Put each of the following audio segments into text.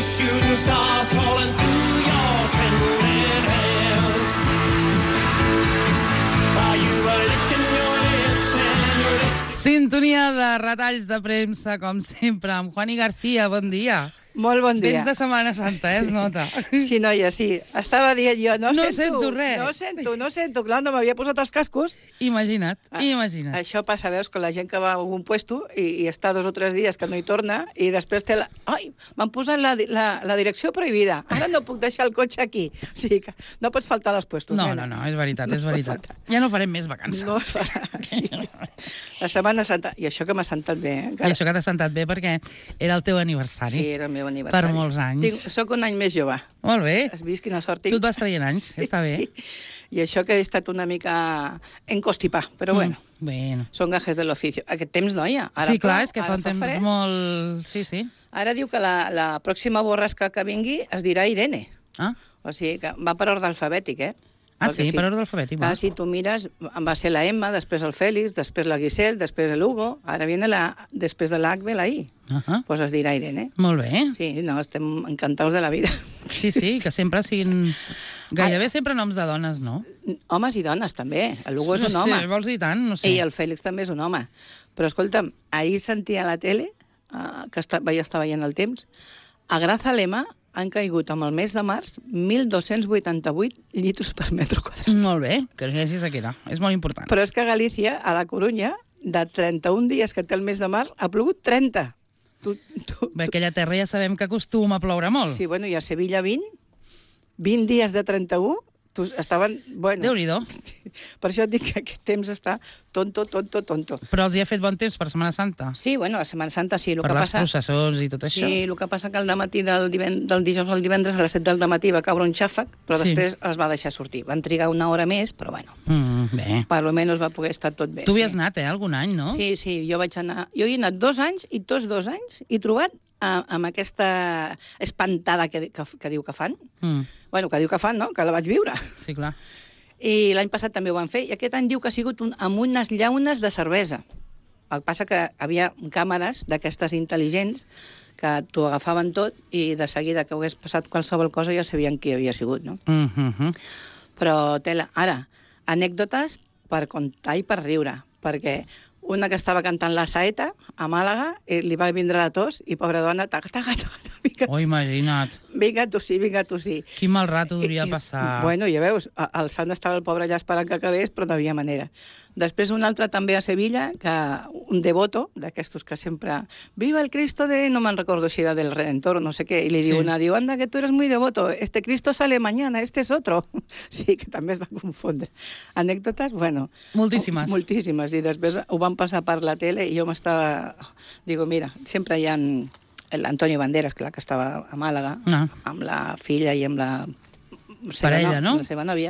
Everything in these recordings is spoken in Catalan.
shooting stars falling through your trembling hands. While you were licking your lips and your lips. Sintonia de retalls de premsa, com sempre, amb Juani García. Bon dia. Molt bon dia. Vens de Setmana Santa, es nota. Sí, noia, sí. Estava dient jo, no sento res. No sento. Clar, no m'havia posat els cascos. Imagina't. Això passa, veus, que la gent que va a algun puesto i està 2 o 3 dies que no hi torna i després té la... Ai, m'han posat la direcció prohibida. Ara no puc deixar el cotxe aquí. O sigui que no pots faltar als puestos, nena. No, és veritat, és veritat. Ja no farem més vacances. No es farà, sí. La Setmana Santa. I això que m'ha sentat bé, eh? I això que t'ha sentat bé perquè era el teu aniversari. Sí, era el meu aniversari. Per molts anys. Soc un any més jove. Molt bé. Has vist quina sort tinc? Tu et vas traient anys, està bé. Sí. I això que he estat una mica encostipar, però bueno. Són gajes de l'ofici. Aquest temps, noia. Sí, clar, és que fa un temps molt... Sí. Ara diu que la pròxima borrasca que vingui es dirà Irene. Ah. O sigui, que va per ordre alfabètic, eh? Ah, sí, per ordre alfabètic. Clar, si tu mires, va ser la Emma, després el Fèlix, després la Guisel, després l'Hugo, ara viene després de l'H ve la I. Pues es dirà Irene. Molt bé. Sí, no, estem encantats de la vida. Sí, que sempre siguin... Gairebé sempre noms de dones, no? Homes i dones, també. L'Hugo és un home. No sé, vols dir tant? No sé. I el Fèlix també és un home. Però, escolta'm, ahir sentia a la tele, que vaig estar veient el temps, a Grazalema han caigut amb el mes de març 1.288 llitos per metre quadrat. Molt bé, que llegis aquí, és molt important. Però és que a Galícia, a la Corunya, de 31 dies que té el mes de març, ha plogut 30. Bé, aquella terra ja sabem que acostuma a ploure molt. Sí, bueno, i a Sevilla 20 dies de 31, estaven... Bueno, Déu-n'hi-do. Per això et dic que aquest temps està tonto. Però els hi ha fet bon temps per Setmana Santa? Sí, bueno, la Setmana Santa sí. Per les processons i tot això? Sí, el que passa que al dematí del dijous al divendres a les 7 del dematí va caure un xàfec, però després es va deixar sortir. Van trigar una hora més, però bueno. Bé. Per almenys va poder estar tot bé. Tu hi has anat, algun any, no? Sí, jo vaig anar... Jo hi he anat 2 anys i tots 2 anys he trobat amb aquesta espantada que diu que fan. Bueno, que diu que fan, no? Que la vaig viure. Sí, clar. I l'any passat també ho van fer. I aquest any diu que ha sigut amb unes llaunes de cervesa. El que passa que havia càmeres d'aquestes intel·ligents que t'ho agafaven tot i de seguida que hagués passat qualsevol cosa ja sabien qui havia sigut, no? Però, ara, anècdotes per contar i per riure, perquè una que estava cantant la saeta a Màlaga i li va vindre la tos i, pobra dona, Oh, imagina't. Vinga, tu sí. Quin mal rato hauria passar. Bueno, ja veus, el sant estava el pobre allà esperant que acabés, però no havia manera. Després un altre també a Sevilla, que un devoto, d'aquestos que sempre... Viva el Cristo de... No me'n recordo si era del Redentor o no sé què, i li diu una, anda, que tu eres muy devoto, este Cristo sale mañana, este es otro. Sí, que també es va confondre. Anècdotes, bueno... Moltíssimes. Moltíssimes, i després ho van passar per la tele i jo m'estava... Digo, mira, sempre hi ha l'Antonio Banderas, clar, que estava a Màlaga, amb la filla i amb la... Parella, no? La seva nòvia,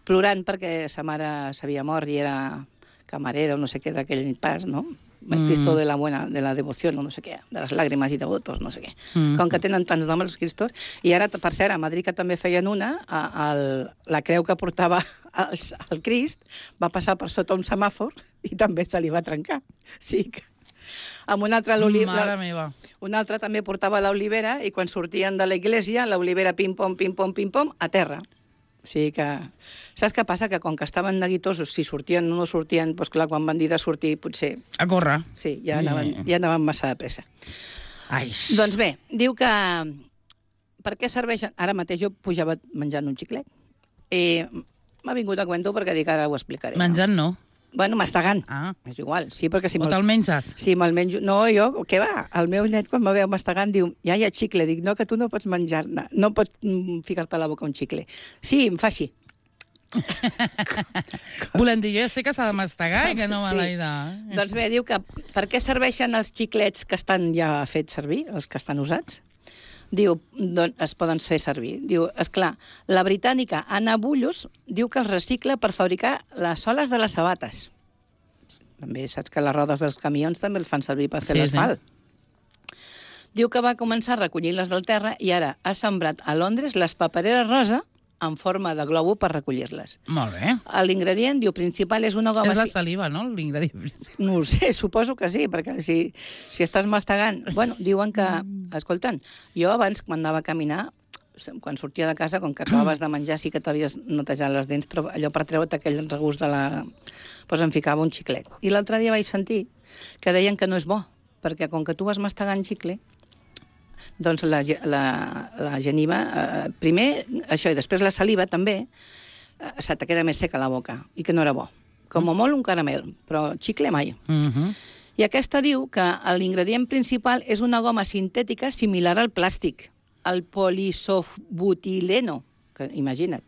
plorant perquè sa mare s'havia mort i era camarera o no sé què d'aquell pas, no? El Cristo de la devoció, no sé què, de les làgrimes i devotos, no sé què. Com que tenen tants noms els Cristos. I ara, per cert, a Madrid que també feien una, la creu que portava el Crist va passar per sota un semàfor i també se li va trencar. Sí que... Amb una altra Mare meva. Una altra també portava l'olivera i quan sortien de l'església, l'olivera pim-pom, a terra. O sigui que... Saps què passa? Que com que estaven neguitosos, si sortien o no sortien, doncs clar, quan van dir de sortir, potser... A córrer. Sí, ja anaven massa de pressa. Ai. Doncs bé, diu que... Per què serveixen... Ara mateix jo pujava menjant un xiclet. I m'ha vingut a cuento perquè dic, ara ho explicaré. Menjant no. Bueno, mastegant. És igual. Sí, perquè si o te'l menges? Sí, me'l menjo. No, jo, què va? El meu net, quan me veu mastegant, diu, ja hi ha xicle. Dic, no, que tu no pots menjar-ne. No pots ficar-te a la boca un xicle. Sí, em fa així. Volem dir, jo ja sé que s'ha de mastegar i que no me l'he de... Doncs bé, diu que per què serveixen els xiclets que estan ja fets servir, els que estan usats? Diu, doncs es poden fer servir. Diu, esclar, la britànica Anna Bullos diu que els recicla per fabricar les soles de les sabates. També saps que les rodes dels camions també els fan servir per fer l'asfalt. Diu que va començar a recollir-les del terra i ara ha sembrat a Londres les papereres rosa en forma de globo per recollir-les. Molt bé. L'ingredient, diu, principal és una goma... És la saliva, no?, l'ingredient principal. No ho sé, suposo que sí, perquè si estàs mastegant... Bueno, diuen que... Escolten, jo abans, quan anava a caminar, quan sortia de casa, com que acabaves de menjar, sí que t'havies netejat les dents, però allò per treure't aquell regust de la... Doncs em ficava un xiclet. I l'altre dia vaig sentir que deien que no és bo, perquè com que tu vas mastegant xicle, doncs la geniva, primer això, i després la saliva també, se te queda més seca la boca, i que no era bo. Com a molt un caramel, però xicle mai. I aquesta diu que l'ingredient principal és una goma sintètica similar al plàstic, el polisobutileno, que imagina't,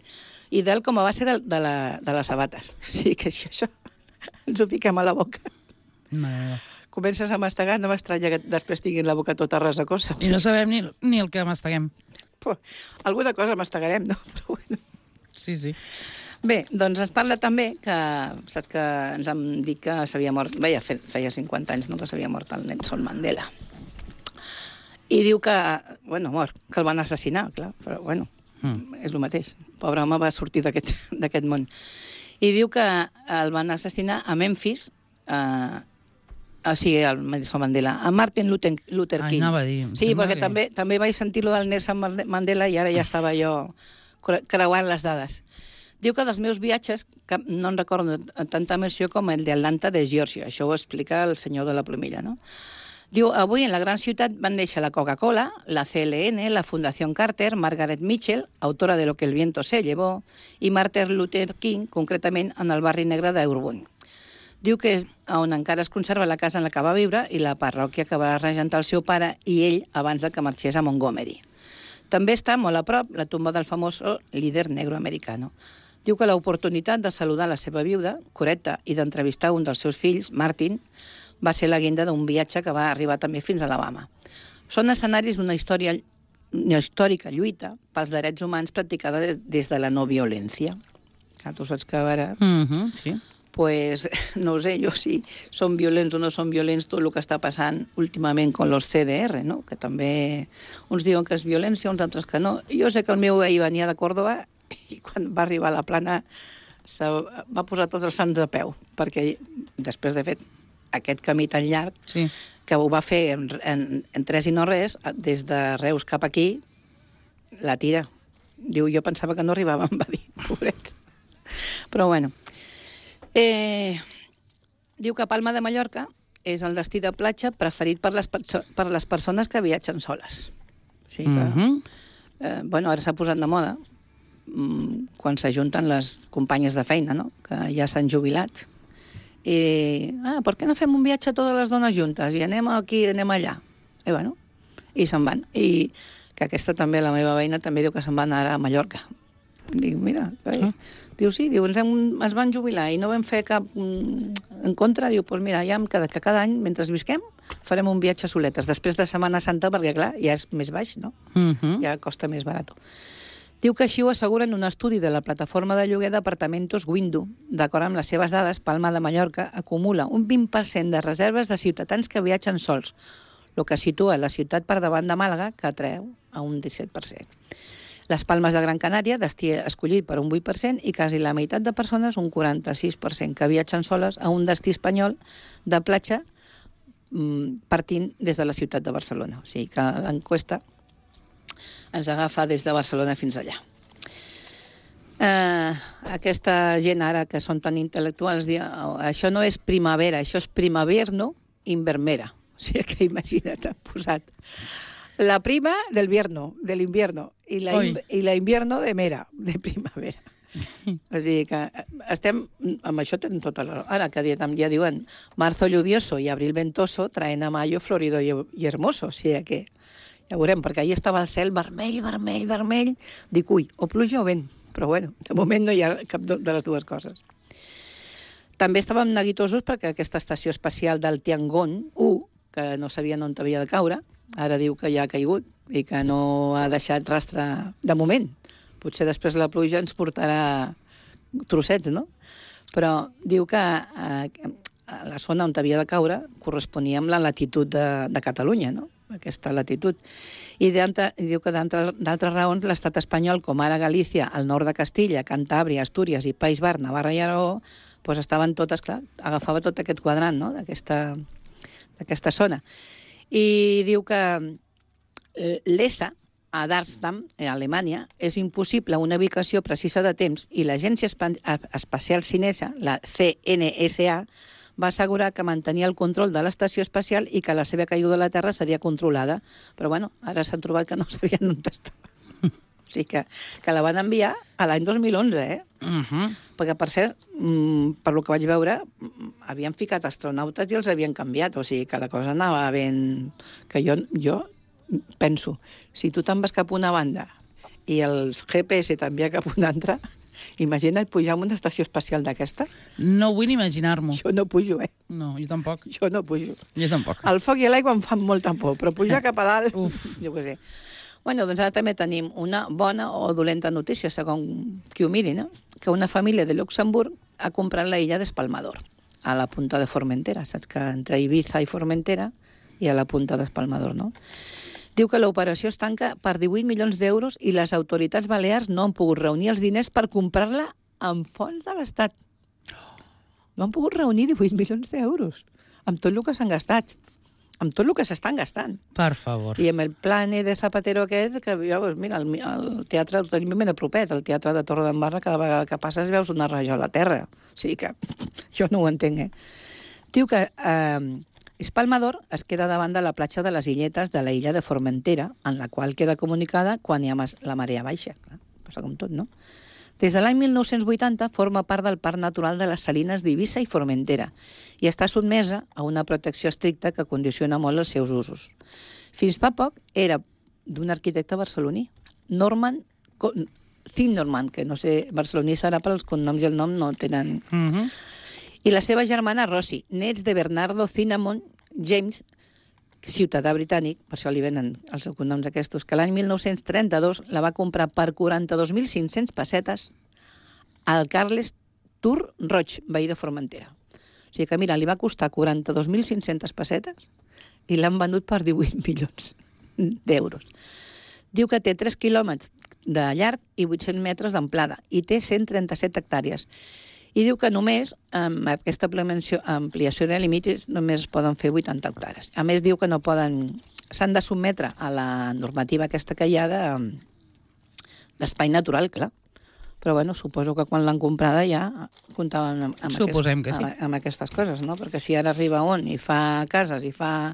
i del com a base de les sabates. O sigui que això ens ho fiquem a la boca. Comences a mastegar, no m'estranya que després tinguin la boca tota resacosa. I no sabem ni el que masteguem. Alguna cosa mastegarem, no? Però bueno. Sí. Bé, doncs ens parla també que, saps que ens han dit que s'havia mort, feia 50 anys, no?, que s'havia mort el Nelson Mandela. I diu que, bueno, mort, que el van assassinar, clar, però bueno, és el mateix. Pobre home va sortir d'aquest món. I diu que el van assassinar a Memphis, o sigui, el Nelson Mandela, a Martin Luther King. Anava a dir. Sí, perquè també vaig sentir-lo del Nelson Mandela i ara ja estava jo creuant les dades. Diu que dels meus viatges, que no en recordo tanta emoció com el d'Atlanta de Geòrgia. Això ho explica el senyor de la plomilla, no? Diu, avui en la gran ciutat van néixer la Coca-Cola, la CLN, la Fundació Carter, Margaret Mitchell, autora de Lo que el viento se llevó, i Martin Luther King, concretament en el barri negre d'Auburn. Diu que és on encara es conserva la casa en la que va viure i la parròquia que va regentar el seu pare i ell abans de que marxés a Montgomery. També està molt a prop la tumba del famós líder negro americano. Diu que l'oportunitat de saludar la seva viuda, Coretta, i d'entrevistar un dels seus fills, Martin, va ser la guinda d'un viatge que va arribar també fins a Alabama. Són escenaris d'una històrica lluita pels drets humans practicada des de la no violència. Tu saps que ara... Sí. Pues, no ho sé jo si són violents o no són violents tot el que està passant últimament amb los CDR, no? Que també uns diuen que és violència, uns altres que no. Jo sé que el meu veí venia de Còrdova i quan va arribar a la Plana va posar tots els sants de peu, perquè després de fet aquest camí tan llarg, sí, que ho va fer en tres i no res, des de Reus cap aquí, la tira. Diu, jo pensava que no arribava, em va dir, pobret. Però bueno... diu que Palma de Mallorca és el destí de platja preferit per les persones que viatgen soles. O sigui que, bueno, ara s'ha posat de moda quan s'ajunten les companyes de feina, no?, que ja s'han jubilat. I, per què no fem un viatge totes les dones juntes? I anem aquí, anem allà. I bueno, i se'n van. I que aquesta també, la meva veïna, també diu que se'n van ara a Mallorca. Dic, mira, diu, sí, diu, ens van jubilar i no vam fer cap en contra. Diu, doncs mira, ja que cada any, mentre visquem, farem un viatge soletes. Després de Setmana Santa, perquè clar, ja és més baix, no? Ja costa més barat. Diu que així ho asseguren un estudi de la plataforma de lloguer d'apartamentos Windu. D'acord amb les seves dades, Palma de Mallorca acumula un 20% de reserves de ciutadans que viatgen sols, el que situa la ciutat per davant de Màlaga, que atreu a un 17%. Les Palmes de Gran Canària, destí escollit per un 8%, i quasi la meitat de persones, un 46%, que viatgen soles a un destí espanyol de platja partint des de la ciutat de Barcelona. O sigui que l'enquesta ens agafa des de Barcelona fins allà. Aquesta gent ara que són tan intel·lectuals, això no és primavera, això és primaverno invermera. O sigui que imagina't, han posat la prima del invierno, i la invierno de mera, de primavera. O sigui que estem, amb això tenen tota la... Ara que ja diuen marzo lluvioso i abril ventoso traen a mayo florido i hermoso. O sigui que ja veurem, perquè ahir estava el cel vermell, vermell, vermell. Dic, ui, o pluja o vent. Però bueno, de moment no hi ha cap de les dues coses. També estàvem neguitosos perquè aquesta estació espacial del Tiangong 1, que no sabien on havia de caure, ara diu que ja ha caigut i que no ha deixat rastre de moment. Potser després la pluja ens portarà trossets, no? Però diu que la zona on havia de caure corresponia amb la latitud de Catalunya, no? aquesta latitud. I diu que d'altres raons l'estat espanyol, com ara Galícia, el nord de Castilla, Cantàbria, Astúries i País Bar, Navarra i Aragó, doncs estaven totes, clar, agafava tot aquest quadrant, no?, d'aquesta zona. I diu que l'ESA, a Darmstadt, a Alemanya, és impossible una ubicació precisa de temps i l'Agència Espacial Xinesa, la CNSA, va assegurar que mantenia el control de l'estació espacial i que la seva caiguda a la Terra seria controlada. Però, bueno, ara s'han trobat que no sabien on estava. O sigui que la van enviar a l'any 2011, Perquè, per cert, per lo que vaig veure, havien ficat astronautes i els havien canviat. O sigui que la cosa anava ben... Que jo penso, si tu te'n vas cap a una banda i el GPS t'envia cap a una altra, imagina't pujar a una estació espacial d'aquesta. No vull ni imaginar-m'ho. Jo no pujo, No, jo tampoc. Jo no pujo. Jo tampoc. El foc i l'aigua em fan molta por, però pujar cap a dalt... Uf. Jo què sé. Bueno, doncs ara també tenim una bona o dolenta notícia, segons qui ho miri, no? Que una família de Luxemburg ha comprat la illa d'Espalmador, a la punta de Formentera. Saps que entre Ibiza i Formentera hi ha la punta d'Espalmador, no? Diu que l'operació es tanca per 18 milions d'euros i les autoritats balears no han pogut reunir els diners per comprar-la amb fons de l'Estat. No han pogut reunir 18 milions d'euros amb tot el que s'han gastat, amb tot el que s'estan gastant. Per favor. I amb el plane de Zapatero aquest, que doncs mira, el teatre el tenim ben a propet, el teatre de Torredembarra, cada vegada que passes veus una rajola a terra. O sigui que jo no ho entenc, Diu que Espalmador es queda davant de la platja de les Illetes de la illa de Formentera, en la qual queda comunicada quan hi ha la marea baixa. Clar, passa com tot, no? Des de l'any 1980 forma part del Parc Natural de les Salines d'Eivissa i Formentera i està sotmesa a una protecció estricta que condiciona molt els seus usos. Fins fa poc era d'un arquitecte barceloní, Norman Zimmermann, que no sé, barceloní serà per als cognoms i el nom no tenen... I la seva germana Rosie, nets de Bernardo Cinnamon James, ciutadà britànic, per això li venen els cognoms aquests, que l'any 1932 la va comprar per 42.500 pessetes al Carles Tur Roig, veí de Formentera. O sigui que, mira, li va costar 42.500 pessetes i l'han venut per 18 milions d'euros. Diu que té 3 quilòmetres de llarg i 800 metres d'amplada i té 137 hectàrees. I diu que només, amb aquesta ampliació de límits, només es poden fer 80 hectàrees. A més, diu que no poden... S'han de sotmetre a la normativa aquesta que hi ha d'espai natural, clar. Però, bueno, suposo que quan l'han comprada ja comptaven amb aquestes coses, no? Perquè si ara arriba on i fa cases i fa...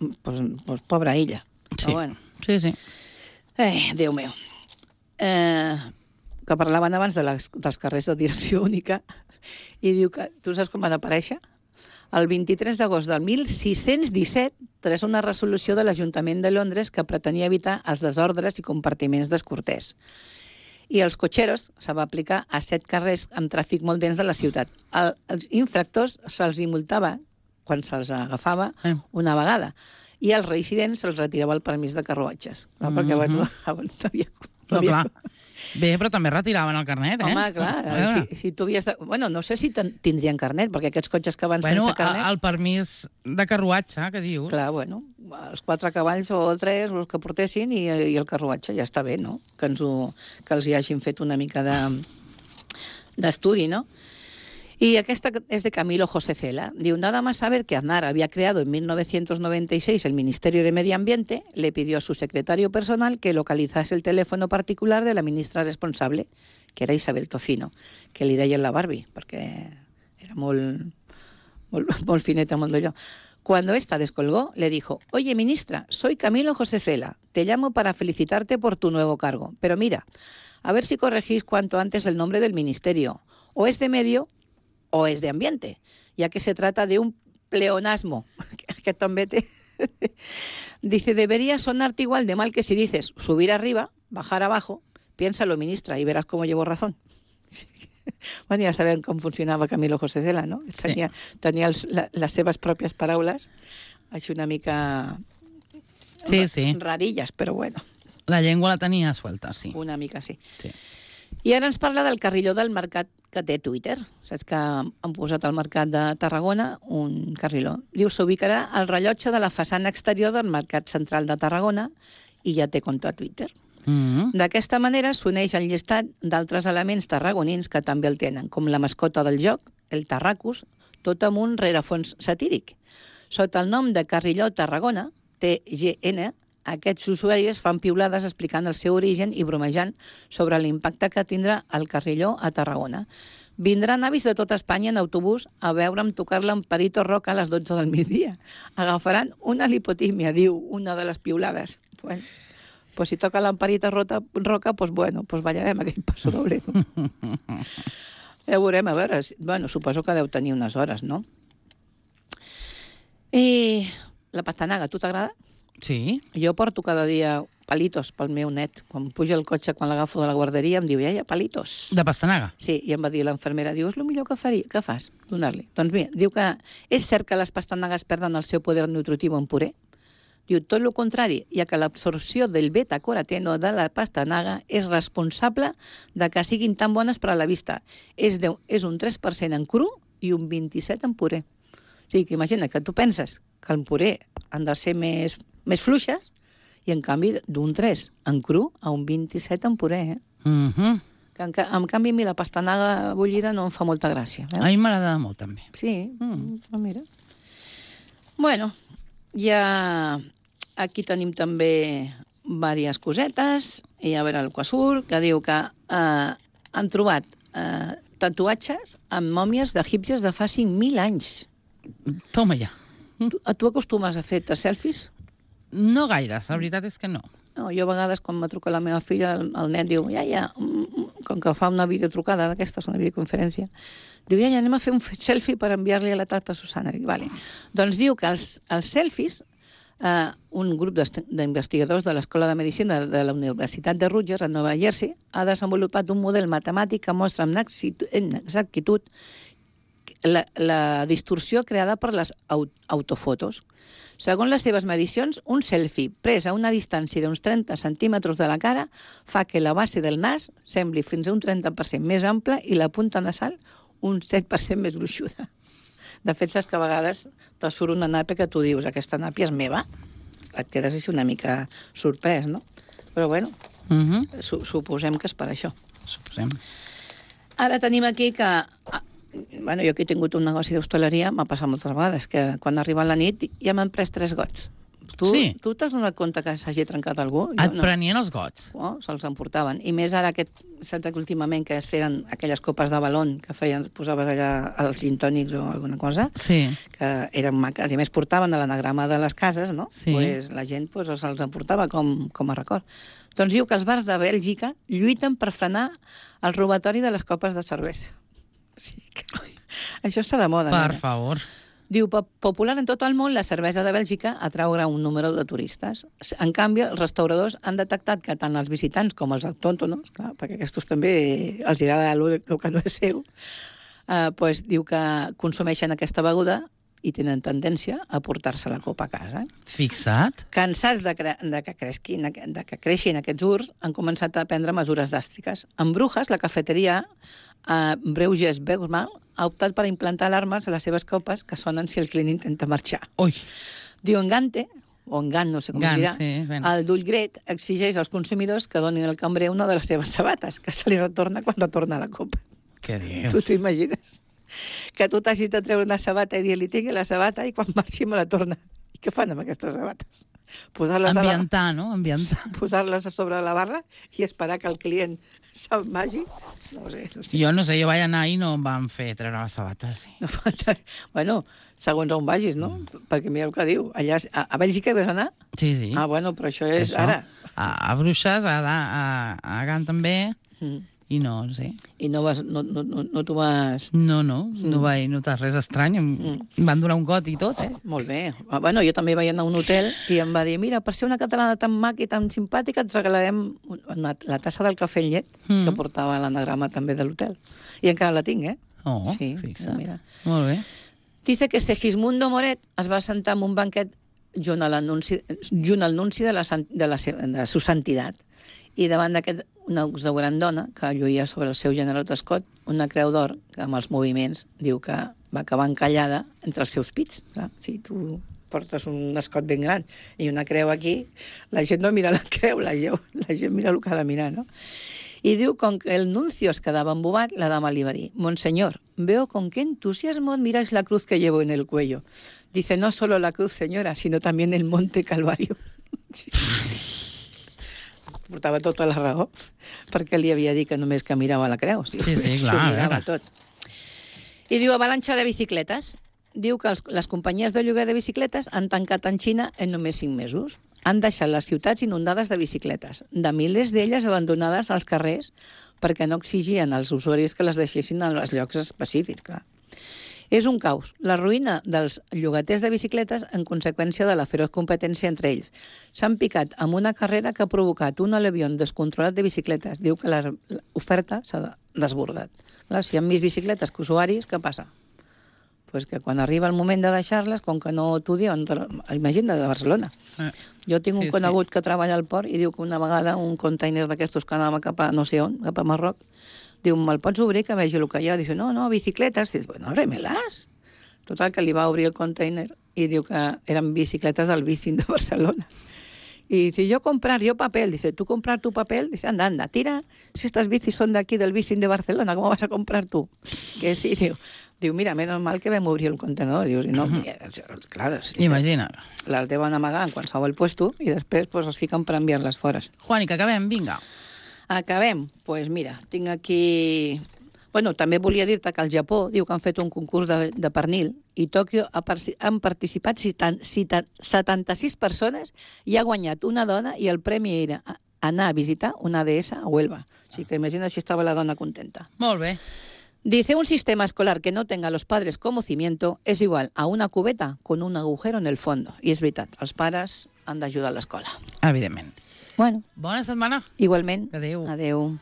Doncs pobra illa. Sí, però, bueno. sí. Déu meu. Que parlaven abans dels carrers de direcció única, i diu que, tu saps com van aparèixer? El 23 d'agost del 1617, tras una resolució de l'Ajuntament de Londres que pretenia evitar els desordres i compartiments descortès. I els cotxeros se va aplicar a 7 carrers amb tràfic molt dens de la ciutat. Els infractors se'ls multava quan se'ls agafava una vegada, i als residents se'ls retirava el permís de carruatges. Perquè, bueno, abans no havia... Bé, però també retiraven el carnet, Home, clar, si tu havies de... Bueno, no sé si tindrien carnet, perquè aquests cotxes que van sense carnet... El permís de carruatge, que dius? Clar, bueno, els 4 cavalls o 3, els que portessin, i el carruatge, ja està bé, no? Que els hi hagin fet una mica d'estudi, no? Y esta es de Camilo José Cela. Digo, nada más saber que Aznar había creado en 1996 el Ministerio de Medio Ambiente, le pidió a su secretario personal que localizase el teléfono particular de la ministra responsable, que era Isabel Tocino, que li deien la Barbie, perquè era molt fineta, molt d'allò. Cuando esta descolgó, le dijo, oye, ministra, soy Camilo José Cela, te llamo para felicitarte por tu nuevo cargo, pero mira, a ver si corregís cuanto antes el nombre del ministerio, o es de medio o es de ambiente, ya que se trata de un pleonasmo, que també té... Dice, debería sonarte igual de mal que si dices subir arriba, bajar abajo, piénsalo, ministra, y verás cómo llevo razón. Bueno, ja sabem com funcionava Camilo José Cela, no? Tenia les seves pròpies paraules, així una mica rarilles, però bueno. La llengua la tenia suelta, sí. Una mica sí. I ara ens parla del carrilló del mercat que té Twitter. Saps que han posat al mercat de Tarragona un carrilló. Diu, s'ubicarà al rellotge de la façana exterior del mercat central de Tarragona i ja té compte a Twitter. D'aquesta manera s'uneix al llistat d'altres elements tarragonins que també el tenen, com la mascota del joc, el Tarracus, tot amb un rerefons satíric. Sota el nom de Carrilló Tarragona, TGN, aquests usuaris fan piulades explicant el seu origen i bromejant sobre l'impacte que tindrà el carrilló a Tarragona. Vindran avis de tota Espanya en autobús a veure'm tocar-la en Perito Roca a les 12 del migdia. Agafaran una lipotímia, diu una de les piulades. Bueno, pues si toca l'Amperito Roca, pues bueno, pues ballarem aquell passo doble. Ja veurem, a veure, bueno, suposo que deu tenir unes hores, no? I la pastanaga, tu t'agrada? Sí. Jo porto cada dia palitos pel meu net. Quan puja el cotxe, quan l'agafo de la guarderia, em diu, iaia, palitos. De pastanaga? Sí, i em va dir l'infermera, diu, és el millor que fas, donar-li. Doncs mira, diu que és cert que les pastanagues perden el seu poder nutritiu en puré. Diu, tot el contrari, ja que l'absorció del beta-caroteno de la pastanaga és responsable de que siguin tan bones per a la vista. És un 3% en cru i un 27% en puré. O sigui, que imagina que tu penses que el puré han de ser més fluixes i, en canvi, d'un 3 en cru a un 27 en puré. Que, en canvi, a mi la pastanaga bullida no em fa molta gràcia. A mi m'agrada molt, també. Sí, mira. Bueno, ja aquí tenim també diverses cosetes. I a veure el Quasur, que diu que han trobat tatuatges amb mòmies d'egípcies de fa 5.000 anys. Toma ja. Tu acostumes a fer selfies? No gaires, la veritat és que no. No, jo a vegades, quan me truca la meva filla, el net diu, iaia, com que fa una videotrucada d'aquestes, una videoconferència, diu, iaia, anem a fer un selfie per enviar-li a la tata Susana. Dic, vale. Doncs diu que els selfies, un grup d'investigadors de l'Escola de Medicina de la Universitat de Rutgers, a Nova Jersey, ha desenvolupat un model matemàtic que mostra amb exactitud la distorsió creada per les autofotos. Segons les seves medicions, un selfie pres a una distància d'uns 30 centímetres de la cara fa que la base del nas sembli fins a un 30% més ampla i la punta nasal un 7% més gruixuda. De fet, saps que a vegades te surt una nàpia que tu dius, aquesta nàpia és meva. Et quedes així una mica sorprès, no? Però bueno, suposem que és per això. Suposem. Ara tenim aquí que... Bueno, jo que he tingut un negoci d'hostaleria, m'ha passat moltes vegades, que quan arriba la nit ja m'han pres 3 gots. Tu t'has donat compte que s'hagi trencat algú? Et prenien els gots? Oh, se'ls emportaven. I més ara, saps que últimament que es feien aquelles copes de balon que posaves allà els gintònics o alguna cosa, que eren maques, i més portaven a l'anagrama de les cases, no? Pues la gent se'ls emportava com a record. Doncs diu que els bars de Bèlgica lluiten per frenar el robatori de les copes de cervesa. Sí, això està de moda. Per favor. Diu, popular en tot el món, la cervesa de Bèlgica atrau un número de turistes. En canvi, els restauradors han detectat que tant els visitants com els autòctonos, clar, perquè aquests també els agrada el que no és seu, pues, diu que consumeixen aquesta beguda i tenen tendència a portar-se la copa a casa. Fixa't. Cansats de que creixin aquests urs, han començat a prendre mesures dràstiques. En Brujas, la cafeteria Breuges Bergman ha optat per implantar alarmes a les seves copes que sonen si el client intenta marxar. Ui. Diu, Engante, o Engant, no sé com dirà, el d'Ullgret exigeix als consumidors que donin al cambrer una de les seves sabates, que se li retorna quan retorna la copa. Què dius? Tu t'imagines? Que tu t'hagis de treure una sabata i dir-li, tingui la sabata, i quan marxi me la torna. I què fan amb aquestes sabates? Ambientar, no? Ambientar. Posar-les a sobre la barra i esperar que el client se'n vagi. No sé. Jo no sé, jo vaig anar i no em van fer treure les sabates. Bueno, segons on vagis, no? Perquè mira el que diu. Allà, a Bèlgica hi vas anar? Sí, sí. Ah, bueno, però això és ara. A Bruixes, a Gant també, i no sé. I no t'ho vas... No vaig notar res estrany. Em van donar un got i tot, Molt bé. Bueno, jo també vaig anar a un hotel i em va dir, mira, per ser una catalana tan maca i tan simpàtica et regalarem la tassa del cafè amb llet que portava l'anagrama també de l'hotel. I encara la tinc, Oh, sí, fixa't. Mira. Molt bé. Dice que Segismundo Moret es va sentar en un banquet junt al nunci de su santidad. i davant d'aquest una exuberant que lluïa sobre el seu generot escot una creu d'or que amb els moviments diu que va acabar encallada entre els seus pits. Clar, si tu portes un escot ben gran i una creu aquí, la gent no mira la creu, la gent mira el que ha de mirar, no? Y diu, con que el nuncio es quedaba embobat, la dama le iba a decir, Monseñor, veo con qué entusiasmo admiráis la cruz que llevo en el cuello. Dice, no solo la cruz, señora, sino también el monte Calvario. Sí. Portava tota la raó, perquè li havia dit que només que mirava la creu. Sí, clar. Mirava tot. I diu, avalanxa de bicicletes. Diu que les companyies de lloguer de bicicletes han tancat en Xina en només 5 mesos. Han deixat les ciutats inundades de bicicletes, de milers d'elles abandonades als carrers perquè no exigien als usuaris que les deixessin en els llocs específics, clar. És un caos, la ruïna dels llogaters de bicicletes en conseqüència de la feroç competència entre ells. S'han picat amb una carrera que ha provocat un alevión descontrolat de bicicletes. Diu que l'oferta s'ha desbordat. Clar, si hi ha més bicicletes que usuaris, què passa? Pues que quan arriba el moment de deixar-les, com que no t'ho diuen, imagina't de Barcelona. Jo tinc un conegut que treballa al port i diu que una vegada un container d'aquestos que anava cap a no sé on, cap a Marroc, diu, me'l pots obrir que vegi el que hi ha? Diu, no, bicicletes. Diu, bueno, ábremelas. Total, que li va obrir el container i diu que eren bicicletes del Bicing de Barcelona. Y dice, yo papel. Dice, ¿tú comprar tu papel? Dice, anda, tira. Si estas bicis son de aquí, del Bicing de Barcelona, ¿cómo vas a comprar tú? Que sí, diu, mira, menos mal que vam obrir el contenedor. Diu, no, clar, sí, imagina. Les deuen amagar en qualsevol puesto i després pues, es fiquen per enviar-les fora. Juani, que acabem, vinga. Acabem? Doncs pues mira, tinc aquí... Bueno, també volia dir-te que al Japó diu que han fet un concurs de pernil i Tòquio han participat 76 persones i ha guanyat una dona i el premi era anar a visitar una deessa a Huelva. O sigui que imagina si estava la dona contenta. Molt bé. Dice, un sistema escolar que no tenga a los padres como cimiento es igual a una cubeta con un agujero en el fondo. I és veritat, els pares han d'ajudar a l'escola. Evidentment. Bueno. Bona setmana. Igualment. Adéu. Adéu.